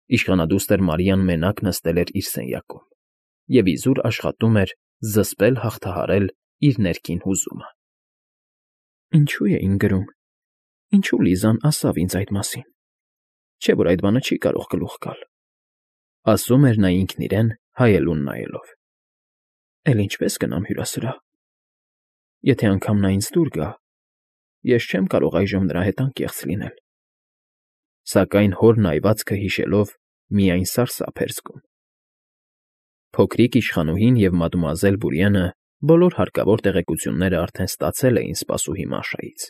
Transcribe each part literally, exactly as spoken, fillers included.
Իշխանադուստր Մարիան մենակ նստել էր իր սենյակում և իզուր աշխատում էր զսպել հաղթահարել իր ներքին հուզումը։ «Ինչո՞ւ էին գրում, ինչո՞ւ Լիզան ասավ ինձ այդ մասին, չէ՞ որ այդ բանը չի կարող գլուխ գալ», ֊ ասում էր նա ինքն իրեն՝ հայելուն նայելով։ «Էլ ինչպե՞ս գնամ հյուրասրահ։ Եթե անգամ նա ինձ դուր գա, ես չեմ կարող այժմ նրա հետ անկեղծ լինել»։ Սակայն հոր նայվածքը հիշելով՝ միայն սարսափ էր զգում։ Փոքրիկ իշխանուհին և մադմուազել Բուրյենը բոլոր հարկավոր տեղեկությունները արդեն ստացել էին սպասուհի Մաշայից,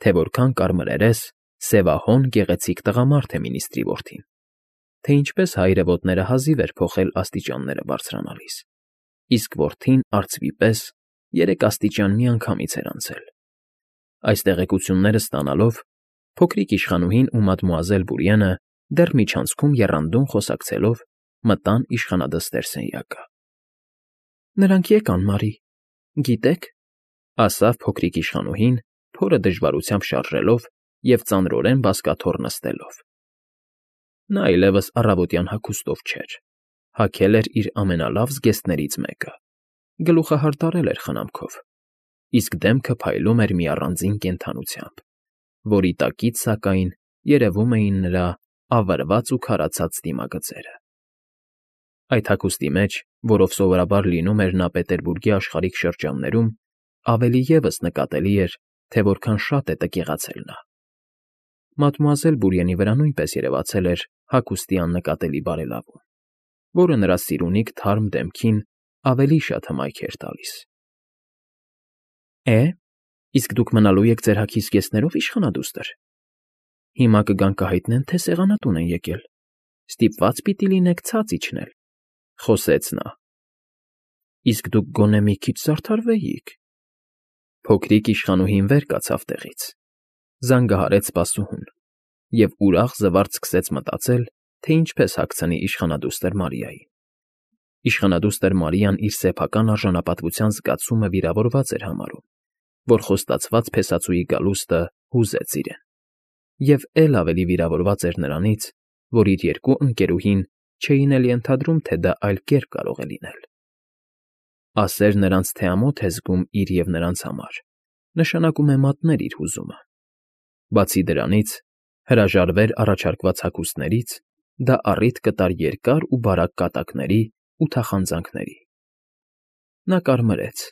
թե որքան կարմրերես, սևահոն, գեղեցիկ տղամարդ է մինիստրի որդին, թե ինչպես հայրը ոտները հազիվ էր փոխել աստիճանները բարձրանալիս, իսկ որդին, արծվի պես, երեք աստիճան միանգամից էր անցել։ Այս տեղեկությունները ստանալով՝ փոքրիկ իշխանուհին ու մադմուազել Բուրյենը դեռ միջանցքում եռանդուն խոսակցելով մտան իշխանադստեր սենյակը։ ֊ Նրանք եկան, Մարի, գիտե՞ք,֊ ասավ փոքրիկ իշխանուհին, փորը դժվարությամբ շարժելով և ծանրորեն բազկաթոռ նստելով։ Նա այլևս առավոտյան հագուստով չէր, հագել էր իր ամենալավ զգեստներից մեկը, գլուխը հարդարել էր խնամքով, իսկ դեմքը փայլում էր մի առանձին կենդանությամբ, որի տակից, սակայն, երևում էին նրա ավրված ու քարացած դիմագծերը։ Այդ հագուստի մեջ, որով սովորաբար լինում էր նա Պետերբուրգի աշխարհիկ շրջաններում, ավելի ևս նկատելի էր, թե որքան շատ է տկեղացել նա։ Մադմուազել Բուրյենի վրա նույնպես երևացել էր հագուստի աննկատելի բարելավում, որը նրա սիրունիկ թարմ դեմքին ավելի շատ հմայք էր տալիս։ ֊ Է՞, իսկ դուք մնալո՞ւ եք ձեր հագի զգեստներով, իշխանադուստր։ Հիմա կգան կհայտնեն, թե սեղանատուն են եկել, ստիպված պիտի լինեք ցած իջնել,֊ խոսեց նա։ ֊ Իսկ դուք գոնե մի քիչ զարդարվեիք։ Փոքրիկ իշխանուհին վեր կացավ տեղից, զանգահարեց սպասուհուն և ուրախ զվարթ սկսեց մտածել, թե ինչպես հագցնի իշխանադուստր Մարիային։ Իշխանադուստր Մարիան իր սեփական արժանապատվության զգացումը վիրավորված էր համարում, որ խոստացված փեսացուի գալուստը հուզեց իրեն, և էլ ավելի վիրավորված էր նրանից, որ իր երկու ընկերուհին չէին էլ ենթադրում, թե դա այլ կերպ կարող է լինել։ Ասեր նրանց, թե ամոթ է զգում իր և նրանց համար, նշանակում է մատնել իր հուզումը։ Բացի դրանից, հրաժարվեր առաջարկված հագուստներից, դա առիթ կտար երկար ու բարակ կատակների ու թախանձնանքների։ Նա կարմրեց,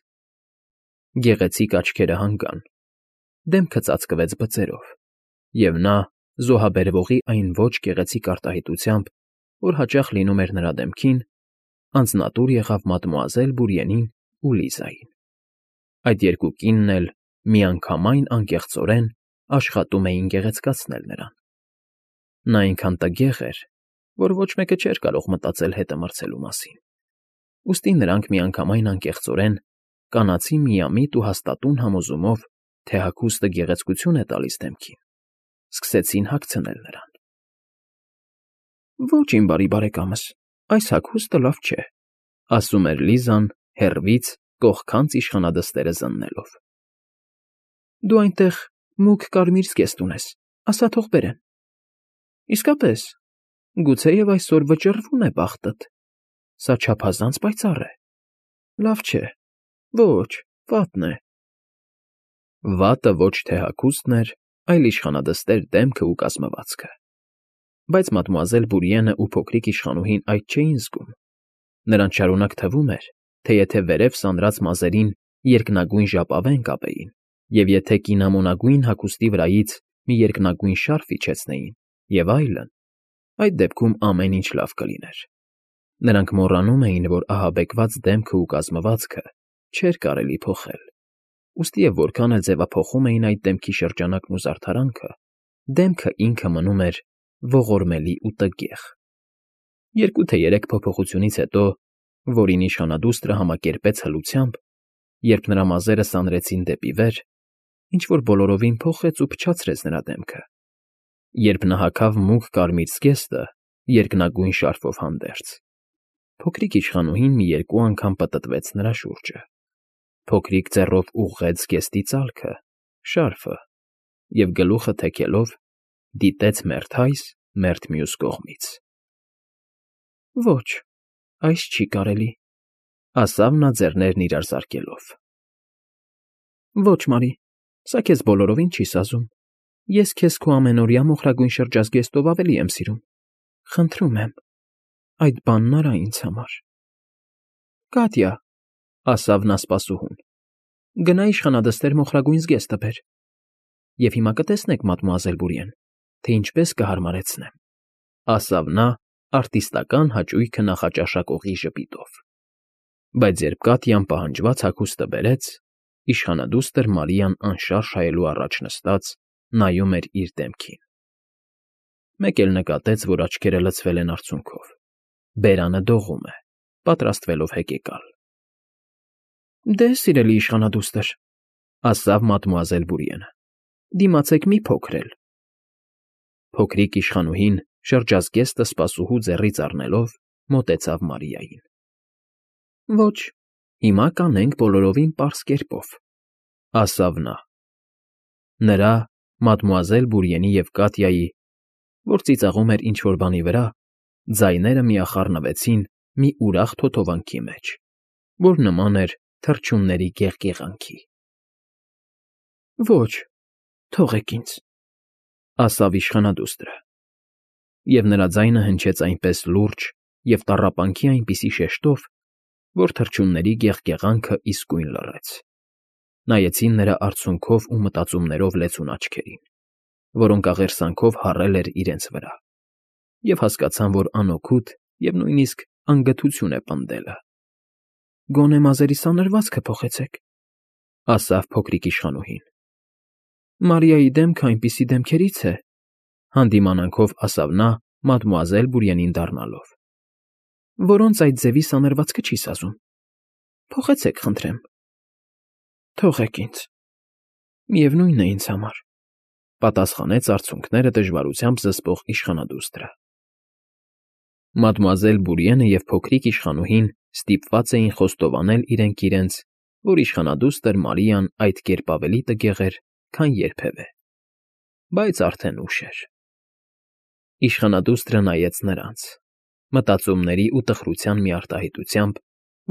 գեղեցիկ աչքերը հանգան, դեմքը ծածկվեց բծերով, և նա, զոհաբերվողի այն ոչ գեղեցիկ արտահայտությամբ, որ հաճախ լինում էր նրա դեմքին, անձնատուր եղավ մադմուազել Բուրյենին ու Լիզային։ Այդ երկու կինն էլ միանգամայն անկեղծորեն աշխատում էին գեղեցկացնել նրան։ Նա այնքան տգեղ էր, որ ոչ մեկը չէր կարող մտածել հետը մրցելու մասին, ուստի նրանք միանգամայն անկեղծորեն, կանացի միամիտ ու հաստատուն համոզումով, թե հագուստը գեղեցկություն է տալիս դեմքին, սկսեցին հագցնել նրան։ ֊ Ոչ, իմ բարի բարեկամս, այս հագուստը լավ չէ,֊ ասում էր Լիզան, հեռվից, կողքանց իշխանադստերը զննելով։ ֊ Դու այնտեղ մուգ կարմիր զգեստ ունես, ասա թող բերեն։ ֊ Իսկապես, գուցեև այսօր վճռվում է բախտդ, սա չափազանց պայծառ է, լավ չէ, ոչ, վատն է։ Վատը ոչ թե հագուստն էր, այլ իշխանադստեր դեմքն ու կազմվածքը։ Բայց մադմուազել Բուրյենը ու փոքրիկ իշխանուհին այդ չէին զգում։ Նրանց շարունակ թվում էր, թե եթե վերև սանրած մազերին երկնագույն ժապավեն կապեին, և եթե կինամոնագույն հագուստի վրայից մի երկնագույն շարֆ իջեցնեին, և այլն, այդ դեպքում ամեն ինչ լավ կլիներ։ Նրանք մոռանում էին, որ ահաբեկված դեմքն ու կազմվածքը չէր կարելի փոխել, ուստի և որքան էլ ձևափոխում էին այդ դեմքի շրջանակն ու զարդարանքը, դեմքը ինքը մնում էր ողորմելի ու տգեղ։ Երկու թե երեք փոփոխությունից հետո, որին իշխանադուստրը համակերպեց հլությամբ, երբ նրա մազերը սանրեցին դեպի վեր, ինչ֊որ բոլորովին փոխեց ու փչացրեց նրա դեմքը, երբ նա հագավ մուգ կարմիր զգեստը երկնագույն շարֆով հանդերձ, փոքրիկ իշխանուհին մի երկու անգամ պտտվեց նրա շուրջը, փոքրիկ ձեռով ուղղեց զգեստի ծալքը, շարֆը, և գլուխը թեքելով, դիտեց մերթ այս, մերթ մյուս կողմից։ Ոչ, այս չի կարելի,֊ ասավ նա ձեռներն իրար զարկելով։ Ոչ, Մարի, սա քեզ բոլորովին չի սազում, ես քեզ քո ամենօրյա մոխրագույն շրջազգեստով ավելի եմ սիրում, խնդրում եմ, այդ բանն արա ինձ համար։ Կատյա,֊ ասավ նա սպասուհուն,֊ գնա իշխանադստեր մոխրագույն զգեստը բեր, և հիմա կտեսնեք, մադմուազել Բուրիեն, թե ինչպես կհարմարեցնեմ,֊ ասավ նա արտիստական հաճույքը նախաճաշակողի ժպիտով։ Բայց երբ Կատյան պահանջված հագուստը բերեց, իշխանադուստր Մարիան անշարժ հայելու առաջ նստած նայում էր իր դեմքին։ Մեկ էլ նկատեց, որ աչքերը լցվել են արցունքով, բերանը դողում է, պատրաստվելով հեկեկալ։ Դե, սիրելի իշխանադուստր,֊ ասավ մադմուազել Բուրիենը,֊ դիմացեք մի փոքր էլ։ Փոքրիկ իշխանուհին, շրջազգեստը սպասուհու ձեռից առնելով, մոտեցավ Մարիային։ Ոչ, հիմա կանենք բոլորովին պարզ կերպով,֊ ասավ նա։ Նրա, մադմուազել Բուրիենի և Կատյայի, որ ծիծաղում էր ինչ֊որ բանի վրա, ձայները միախառնվեցին մի ուրախ թոթովանքի մեջ, որ նման էր թռչունների գեղգեղանքի։ Ոչ, թողեք ինձ,֊ ասավ իշխանադուստրը, և նրա ձայնը հնչեց այնպես լուրջ և տառապանքի այնպիսի շեշտով, որ թռչունների գեղգեղանքը իսկույն լռեց։ Նայեցին նրա արցունքով ու մտածումներով լեցուն աչքերին, որոնք աղերսանքով հառել էր իրենց վրա, և հասկացան, որ անօգուտ և նույնիսկ անգթություն է պնդելը։ Գոնե մազերի սանրվածքը փոխեցեք,֊ ասավ փոքրիկ իշխանուհին։ Մարիայի դեմքը այնպիսի դեմքերից է,֊ հանդիմանանքով ասավ նա մադմուազել Բուրիենին դառնալով,֊ որոնց այդ ձևի սանրվածքը չի սազում։ Փոխեցեք, խնդրեմ։ Թողեք ինձ, միևնույն է ինձ համար,֊ պատասխանեց արցունքները դժվարությամբ զսպող իշխանադուստրը։ Մադմուազել Բուրիենը և փոքրիկ իշխանուհին ստիպված էին խոստովանել իրենք իրենց, որ իշխանադուստր Մարիան այդ կերպ ավելի տգեղ էր, քան երբևէ, բայց արդեն ուշ էր։ Իշխանադուստրը նայեց նրանց, մտածումների ու տխրության մի արտահայտությամբ,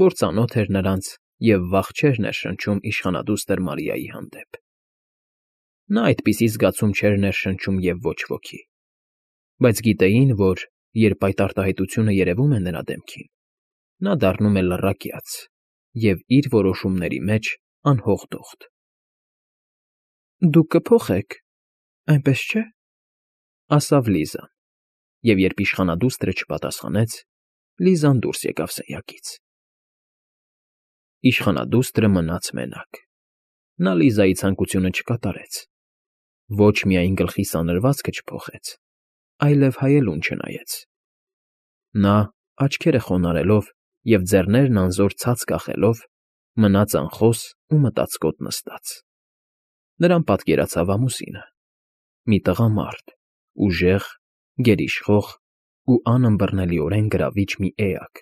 որ ծանոթ էր նրանց և վախ չէր ներշնչում իշխանադուստր Մարիայի հանդեպ։ Նա այդպիսի զգացում չէր ներշնչում և ոչ ոքի, բայց գիտեին, որ երբ այդ արտահայտությունը երևում է նրա դեմքին, նա դառնում է լռակյաց և իր որոշումների մեջ անհողդողդ։ Դուք կփոխեք, այնպես չէ,֊ ասավ Լիզան, և երբ իշխանադուստրը չպատասխանեց, Լիզան դուրս եկավ սենյակից։ Իշխանադուստրը մնաց մենակ։ Նա Լիզայի ցանկությունը չկատարեց։ Ոչ միայն գլխի սանրվածքը չփոխեց, այլև հայելուն չնայեց։ Նա, աչքերը խոնարհելով և ձեռներն անզոր ցած կախելով, մնաց անխոս ու մտածկոտ նստած։ Նրան պատկերացավ ամուսինը՝ մի տղամարդ, ուժեղ, գերիշխող ու անըմբռնելիորեն գրավիչ մի էակ,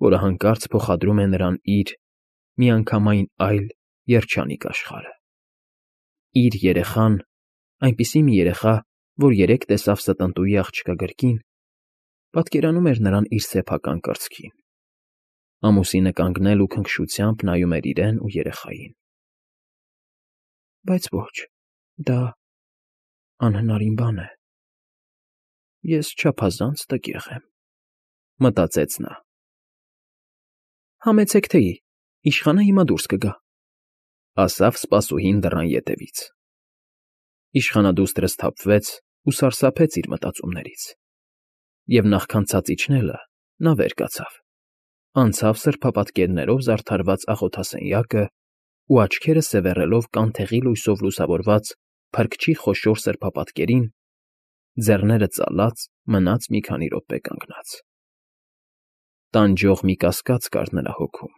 որը հանկարծ փոխադրում է նրան իր՝ միանգամայն այլ, երջանիկ աշխարհը։ Իր երեխան, այնպիսի մի երեխա, որ երեկ տեսավ ստընտուի աղջկա գրկին, պատկերանում էր նրան իր սեփական կրծքին։ Ամուսինը կանգնել ու քնքշությամբ նայում էր իրեն ու երեխային։ Բայց ոչ, դա անհնարին բան է։ Ես չափազանց տգեղ եմ,֊ մտածեց նա։ Համեցեք թեյի, իշխանը հիմա դուրս կգա,֊ ասավ սպասուհին դռան ետևից։ Իշխանադուստրը սթափվեց ու սարսափեց իր մտածումներից, և նախքան ցած իջնելը, նա վեր կացավ, անցավ սրբապատկերներով զարդարված աղոթասենյակը ու, աչքերը սևեռելով կանթեղի լույսով լուսավորված փրկչի խոշոր սրբապատկերին, ձեռները ծալած մնաց մի քանի րոպե կանգնած։ Տանջող մի կասկած կար նրա հոգում.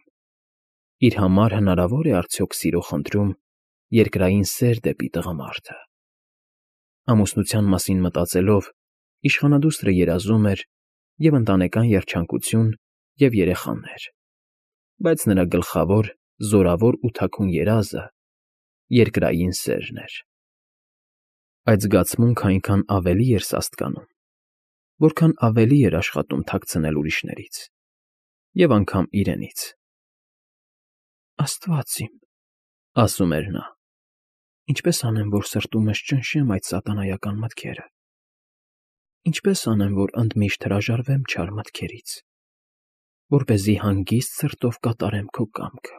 իր համար հնարավո՞ր է արդյոք սիրո խնդրում երկրային սեր դեպի տղամարդը։ Ամուսնության մասին մտածելով՝ իշխանադուստրը երազում էր և՛ ընտանեկան երջանկություն, և՛ երեխաներ, բայց նրա գլխավոր, զորավոր ու թաքուն երազը երկրային սերն էր։ Այդ զգացմունքն այնքան ավելի էր սաստկանում, որքան ավելի էր աշխատում թաքցնել ուրիշներից և անգամ իրենից։ «Աստված իմ,֊ ասում էր նա,֊ ինչպե՞ս անեմ, որ սրտումս ճնշեմ այդ սատանայական մտքերը, ինչպե՞ս անեմ, որ ընդմիշտ հրաժարվեմ չար մտքերից, որպեսզի հանգիստ սրտով կատարեմ քո կամքը»։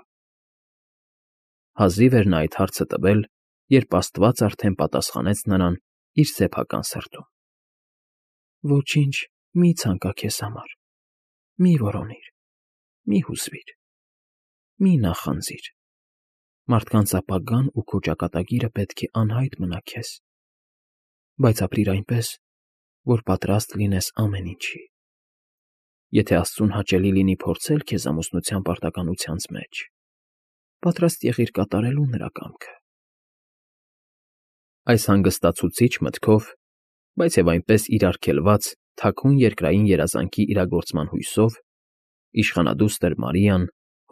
Հազիվ էր նա այդ հարցը տվել, երբ աստված արդեն պատասխանեց նրան իր սեփական սրտում. «Ոչինչ մի՛ ցանկա քեզ համար, մի՛ որոնիր, մի՛ հուզվիր, մի՛ նախանձիր. մարդկանց ապագան ու քո ճակատագիրը պետք է անհայտ մնա քեզ, բայց ապրիր այնպես, որ պատրաստ լինես ամեն ինչի։ Եթե աստծուն հաճելի լինի փորձել քեզ ամուսնության պարտականությանց մեջ, պատրաստ եղիր կատարելու նրա կամքը»։ Այս հանգստացուցիչ մտքով, բայց և այնպես իրարգելված թաքուն երկրային երազանքի իրագործման հույսով, իշխանադուստր Մարիան,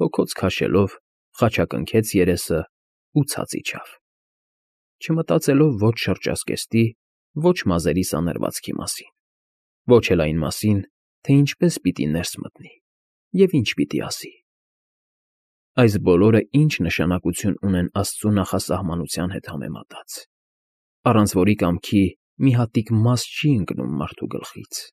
հոգոց քաշելով, խաչակնքեց երեսն ու ցած իջավ, չմտածելով ոչ շրջազգեստի, ոչ մազերի սանրվածքի մասին, ոչ էլ այն մասին, թե ինչպես պիտի ներս մտնի և ինչ պիտի ասի։ Այս բոլորը ինչ նշանակություն ունեն աստծու նախասահմանության հետ համեմատած, առանց որի կամքի մի հատիկ մազ չի ընկնում մարդու գլխից։